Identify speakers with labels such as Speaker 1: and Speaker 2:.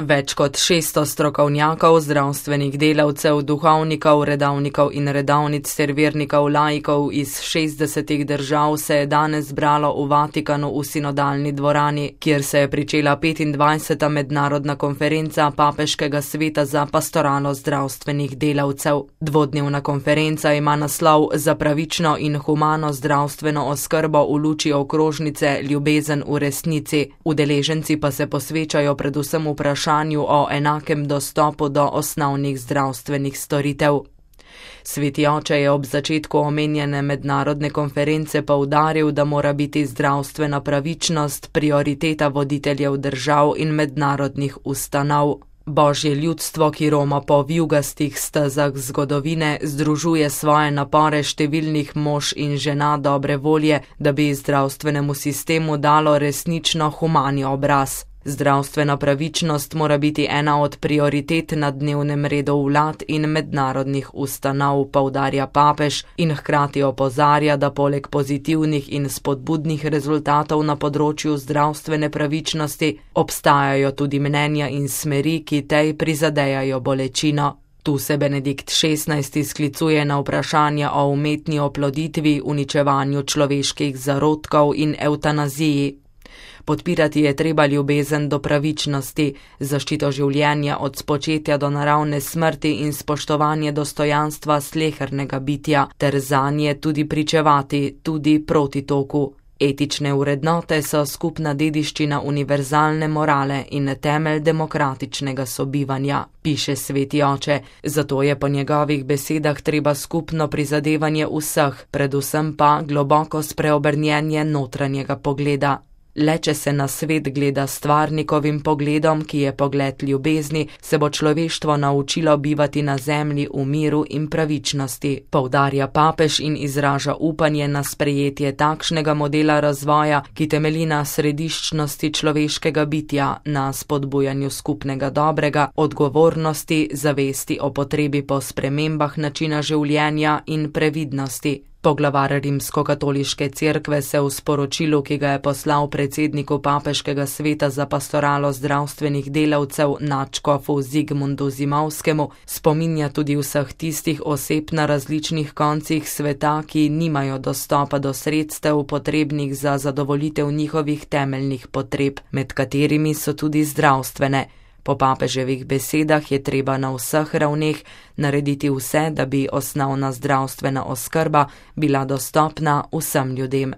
Speaker 1: Več kot 600 strokovnjakov, zdravstvenih delavcev, duhovnikov, redovnikov in redovnic ter vernikov laikov iz 60 držav se je danes zbralo v Vatikanu v sinodalni dvorani, kjer se je pričela 25. mednarodna konferenca Papeškega sveta za pastoralo zdravstvenih delavcev. Dvodnevna konferenca ima naslov Za pravično in humano zdravstveno oskrbo v luči okrožnice Ljubezen v resnici. Udeleženci pa se posvečajo predvsem vprašanju o enakem dostopu do osnovnih zdravstvenih storitev. Sveti oče je ob začetku omenjene mednarodne konference poudaril, da mora biti zdravstvena pravičnost prioriteta voditeljev držav in mednarodnih ustanov. Božje ljudstvo, ki roma po vijugastih stezah zgodovine, združuje svoje napore številnih mož in žena dobre volje, da bi zdravstvenemu sistemu dalo resnično humani obraz. Zdravstvena pravičnost mora biti ena od prioritet na dnevnem redu vlad in mednarodnih ustanov, poudarja papež in hkrati opozarja, da poleg pozitivnih in spodbudnih rezultatov na področju zdravstvene pravičnosti obstajajo tudi mnenja in smeri, ki tej prizadejajo bolečino. Tu se Benedikt XVI sklicuje na vprašanja o umetni oploditvi, uničevanju človeških zarodkov in evtanaziji. Podpirati je treba ljubezen do pravičnosti, zaščito življenja od spočetja do naravne smrti in spoštovanje dostojanstva slehernega bitja, ter zanje tudi pričevati, tudi proti toku. Etične vrednote so skupna dediščina univerzalne morale in temelj demokratičnega sobivanja, piše sveti oče, zato je po njegovih besedah treba skupno prizadevanje vseh, predvsem pa globoko spreobrnjenje notranjega pogleda. Le če se na svet gleda stvarnikovim pogledom, ki je pogled ljubezni, se bo človeštvo naučilo bivati na zemlji v miru in pravičnosti, poudarja papež in izraža upanje na sprejetje takšnega modela razvoja, ki temelji na središčnosti človeškega bitja, na spodbujanju skupnega dobrega, odgovornosti, zavesti o potrebi po spremembah načina življenja in previdnosti. Poglavar Rimskokatoliške cerkve se v sporočilu, ki ga je poslal predsedniku Papeškega sveta za pastoralo zdravstvenih delavcev nadškofu Zigmundu Zimovskemu, spominja tudi vseh tistih oseb na različnih koncih sveta, ki nimajo dostopa do sredstev potrebnih za zadovoljitev njihovih temeljnih potreb, med katerimi so tudi zdravstvene. Po papeževih besedah je treba na vseh ravneh narediti vse, da bi osnovna zdravstvena oskrba bila dostopna vsem ljudem.